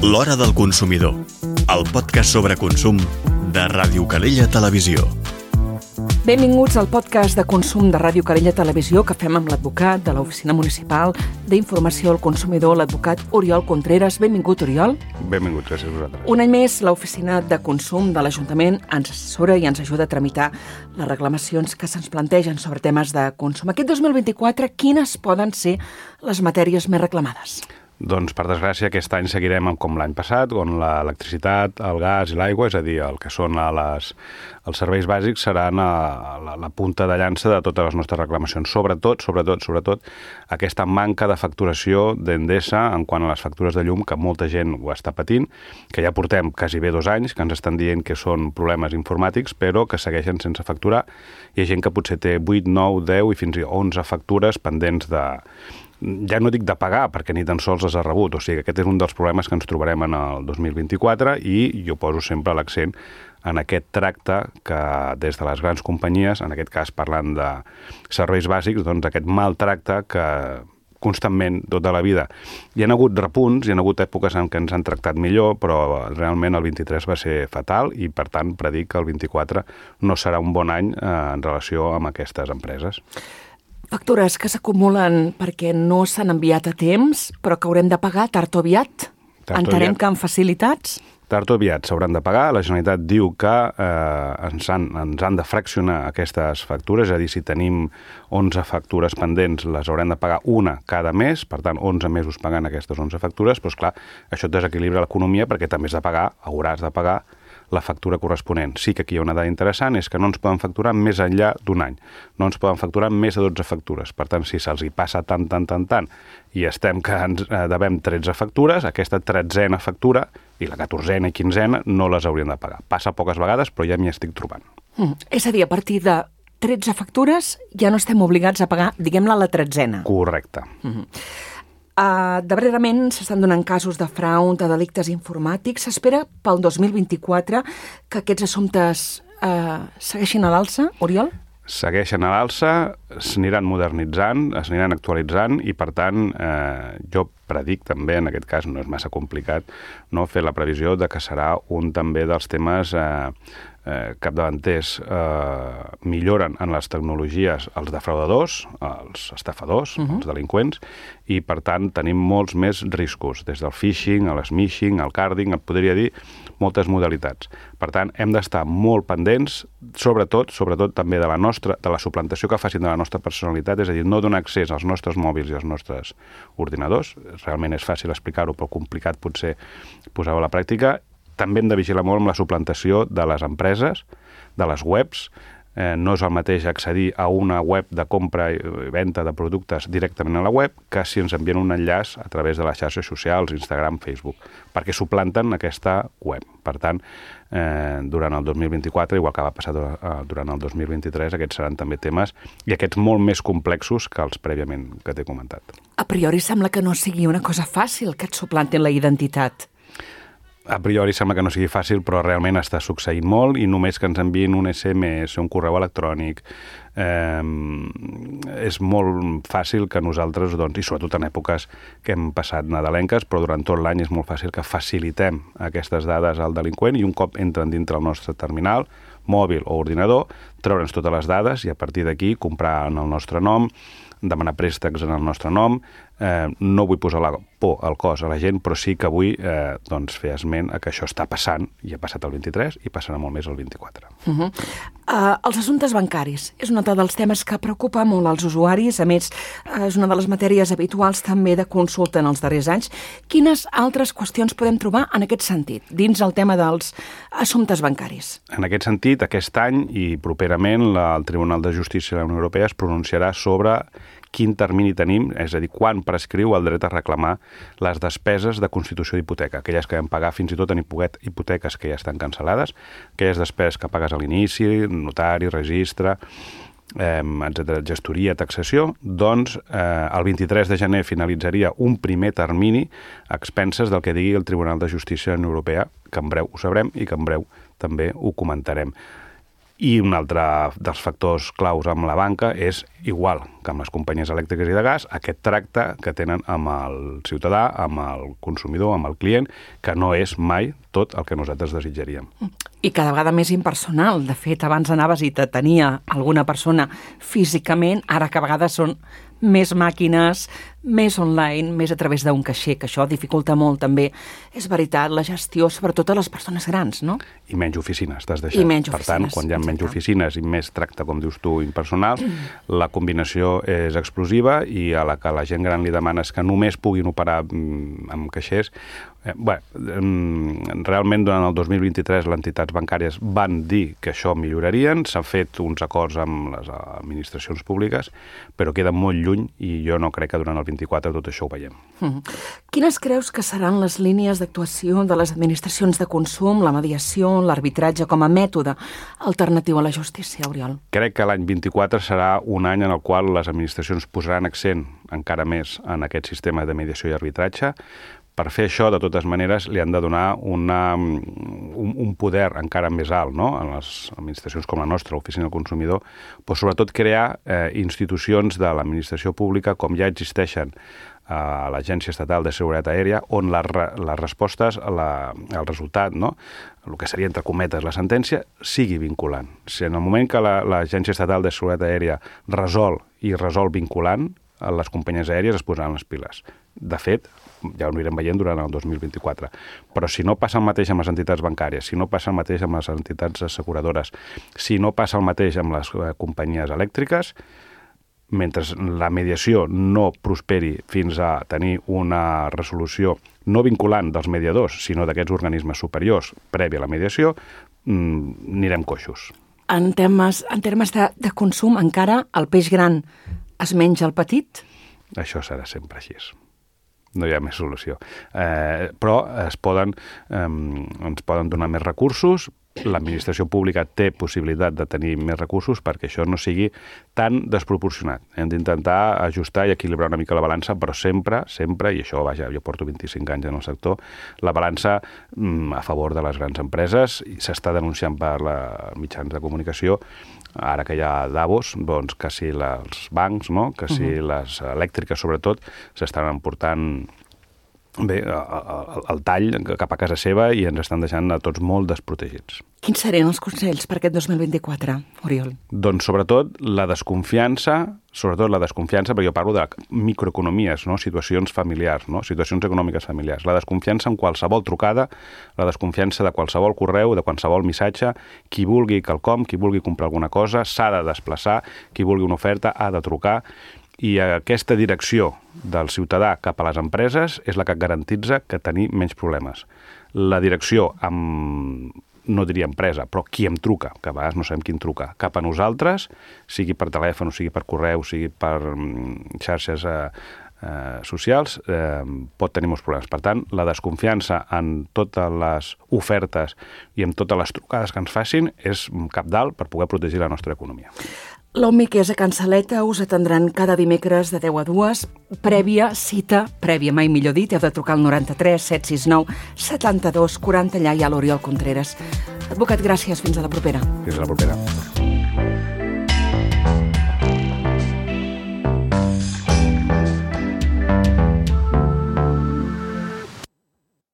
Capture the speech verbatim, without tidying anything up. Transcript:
L'Hora del Consumidor, el podcast sobre consum de Ràdio Calella Televisió. Benvinguts al podcast de consum de Ràdio Calella Televisió que fem amb l'advocat de l'Oficina Municipal d'Informació al Consumidor, l'advocat Oriol Contreras. Benvingut, Oriol. Benvingut, gràcies a vosaltres. Un any més, l'Oficina de Consum de l'Ajuntament ens assessora i ens ajuda a tramitar les reclamacions que se'ns plantegen sobre temes de consum. Aquest dos mil vint-i-quatre, quines poden ser les matèries més reclamades? Doncs, per desgràcia, aquest any seguirem com l'any passat, on l'electricitat, el gas i l'aigua, és a dir, el que són les, els serveis bàsics, seran a la, la punta de llança de totes les nostres reclamacions. Sobretot, sobretot, sobretot, aquesta manca de facturació d'Endesa en quant a les factures de llum, que molta gent ho està patint, que ja portem quasi bé dos anys, que ens estan dient que són problemes informàtics, però que segueixen sense facturar. Hi ha gent que potser té vuit, nou, deu i fins i tot onze factures pendents de... ja no dic de pagar, perquè ni tan sols les ha rebut. O sigui, aquest és un dels problemes que ens trobarem en el dos mil vint-i-quatre i jo poso sempre l'accent en aquest tracte que des de les grans companyies, en aquest cas parlant de serveis bàsics, doncs aquest mal tracte que constantment, tota la vida. Hi ha hagut repunts, hi ha hagut èpoques en què ens han tractat millor, però realment el vint-i-tres va ser fatal i, per tant, predic que el vint-i-quatre no serà un bon any eh, en relació amb aquestes empreses. Factures que s'acumulen perquè no s'han enviat a temps, però que haurem de pagar tard o aviat. Tard o Entenem aviat. que amb facilitats. Tard o aviat s'hauran de pagar. La Generalitat diu que eh, ens, han, ens han de fraccionar aquestes factures, és a dir, si tenim onze factures pendents, les haurem de pagar una cada mes, per tant, onze mesos pagant aquestes onze factures, però, esclar, això desequilibra l'economia perquè també has de pagar, hauràs de pagar la factura corresponent. Sí que aquí hi ha una dada interessant, és que no ens poden facturar més enllà d'un any. No ens poden facturar més de dotze factures. Per tant, si se'ls hi passa tant, tant, tant, tant, i estem que ens devem tretze factures, aquesta tretzena factura i la catorzena i quinzena no les haurien de pagar. Passa poques vegades, però ja m'hi estic trobant. Mm. És a dir, a partir de tretze factures ja no estem obligats a pagar, diguem-la, la tretzena. Correcte. Mm-hmm. Uh, darrerament s'estan donant casos de frau, de delictes informàtics. S'espera pel dos mil vint-i-quatre que aquests assumptes uh, segueixin a l'alça, Oriol? Segueixen a l'alça, s'aniran modernitzant, s'aniran actualitzant i, per tant, eh, jo predic també, en aquest cas no és massa complicat, no, fer la previsió de que serà un també dels temes eh, eh, capdavanters. Eh, milloren en les tecnologies els defraudadors, els estafadors, uh-huh. els delinqüents, i, per tant, tenim molts més riscos, des del phishing, el smishing, el carding, et podria dir moltes modalitats. Per tant, hem d'estar molt pendents, sobretot, sobretot també de la nostra, de la suplantació que facin de la nostra personalitat, és a dir, no donar accés als nostres mòbils i als nostres ordinadors. Realment és fàcil explicar-ho, però complicat potser posar-ho a la pràctica. També hem de vigilar molt amb la suplantació de les empreses, de les webs. Eh, no és el mateix accedir a una web de compra i venda de productes directament a la web que si ens envien un enllaç a través de les xarxes socials, Instagram, Facebook, perquè suplanten aquesta web. Per tant, eh, durant el dos mil vint-i-quatre, igual que va passar durant el dos mil vint-i-tres, aquests seran també temes i aquests molt més complexos que els prèviament que t'he comentat. A priori sembla que no sigui una cosa fàcil que et suplantin la identitat. A priori sembla que no sigui fàcil, però realment està succeint molt i només que ens enviïn un esse eme esse, un correu electrònic, eh, és molt fàcil que nosaltres, doncs, i sobretot en èpoques que hem passat nadalenques, però durant tot l'any és molt fàcil que facilitem aquestes dades al delinqüent i un cop entren dintre el nostre terminal, mòbil o ordinador, treure'ns totes les dades i a partir d'aquí comprar en el nostre nom, demanar préstecs en el nostre nom. Eh, no vull posar la por al cos a la gent, però sí que vull eh, doncs fer esment a que això està passant, i ha passat el vint-i-tres i passarà molt més el vint-i-quatre. Uh-huh. Uh, els assumptes bancaris és un dels temes que preocupa molt als usuaris. A més, uh, és una de les matèries habituals també de consulta en els darrers anys. Quines altres qüestions podem trobar en aquest sentit, dins el tema dels assumptes bancaris? En aquest sentit, aquest any i properament la, el Tribunal de Justícia de la Unió Europea es pronunciarà sobre quin termini tenim, és a dir, quan prescriu el dret a reclamar les despeses de constitució d'hipoteca, aquelles que vam pagar fins i tot en hipoteques que ja estan cancel·lades, aquelles despeses que pagues a l'inici, notari, registre, eh, etcètera, gestoria, taxació, doncs eh, el vint-i-tres de gener finalitzaria un primer termini a expenses del que digui el Tribunal de Justícia de la Unió Europea, que en breu ho sabrem i que en breu també ho comentarem. I un altre dels factors claus amb la banca és, igual que amb les companyies elèctriques i de gas, aquest tracte que tenen amb el ciutadà, amb el consumidor, amb el client, que no és mai tot el que nosaltres desitjaríem. I cada vegada més impersonal. De fet, abans anaves i te tenia alguna persona físicament, ara que a vegades són més màquines, més online, més a través d'un caixer, que això dificulta molt també. És veritat, la gestió, sobretot a les persones grans, no? I menys oficines, t'has deixat. I menys per oficines, tant, quan hi ha menys exacte. oficines i més tracte, com dius tu, impersonal, la combinació és explosiva i a la que la gent gran li demanes que només puguin operar amb caixers. Eh, bé, realment durant el dos mil vint-i-tres les entitats bancàries van dir que això millorarien, s'han fet uns acords amb les administracions públiques, però queda molt lluny i jo no crec que durant el vint-i-quatre tot això ho veiem. Mm. Quines creus que seran les línies d'actuació de les administracions de consum, la mediació, l'arbitratge com a mètode alternatiu a la justícia, Oriol? Crec que l'any vint-i-quatre serà un any en el qual les administracions posaran accent encara més en aquest sistema de mediació i arbitratge. Per fer això, de totes maneres, li han de donar una, un, un poder encara més alt, no? En les administracions com la nostra, l'Oficina del Consumidor, però sobretot crear eh, institucions de l'administració pública com ja existeixen a l'Agència Estatal de Seguretat Aèria, on la, les respostes, la, el resultat, no? El que seria, entre cometes, la sentència, sigui vinculant. Si en el moment que l'Agència Estatal de Seguretat Aèria resol i resol vinculant, les companyies aèries es posaran les piles. De fet, ja ho anirem veient durant el dos mil vint-i-quatre. Però si no passa el mateix amb les entitats bancàries, si no passa el mateix amb les entitats asseguradores, si no passa el mateix amb les companyies elèctriques, mentre la mediació no prosperi fins a tenir una resolució no vinculant dels mediadors, sinó d'aquests organismes superiors prèvia a la mediació, anirem coixos. En termes, en termes de, de consum, encara el peix gran es menja el petit? Això serà sempre així. No hi ha més solució. Eh, però es poden, eh, ens poden donar més recursos, l'administració pública té possibilitat de tenir més recursos perquè això no sigui tan desproporcionat. Hem d'intentar ajustar i equilibrar una mica la balança, però sempre, sempre, i això, vaja, jo porto vint-i-cinc anys en el sector, la balança mm, a favor de les grans empreses, i s'està denunciant per la mitjans de comunicació, ara que hi ha Davos, doncs que si els bancs, no? Que si uh-huh. les elèctriques, sobretot, s'estan emportant bé, el, el tall cap a casa seva i ens estan deixant a tots molt desprotegits. Quins serien els consells per aquest dos mil vint-i-quatre, Oriol? Doncs sobretot la desconfiança, sobretot la desconfiança, perquè jo parlo de microeconomies, no? Situacions familiars, no? Situacions econòmiques familiars. La desconfiança en qualsevol trucada, la desconfiança de qualsevol correu, de qualsevol missatge, qui vulgui quelcom, qui vulgui comprar alguna cosa, s'ha de desplaçar, qui vulgui una oferta ha de trucar, i aquesta direcció del ciutadà cap a les empreses és la que garantitza que tenir menys problemes. La direcció amb, no diria empresa, però qui em truca, que a vegades no sabem qui em truca, cap a nosaltres, sigui per telèfon, sigui per correu, sigui per xarxes eh, eh, socials, eh, pot tenir molts problemes. Per tant, la desconfiança en totes les ofertes i en totes les trucades que ens facin és cabdal per poder protegir la nostra economia. L'Omi, que és a Can Saleta, us atendran cada dimecres de deu a dues, prèvia cita, prèvia mai millor dit, heu de trucar al noranta-tres set sis nou setanta-dos quaranta, allà hi ha l'Oriol Contreras. Advocat, gràcies, fins a la propera. Fins a la propera.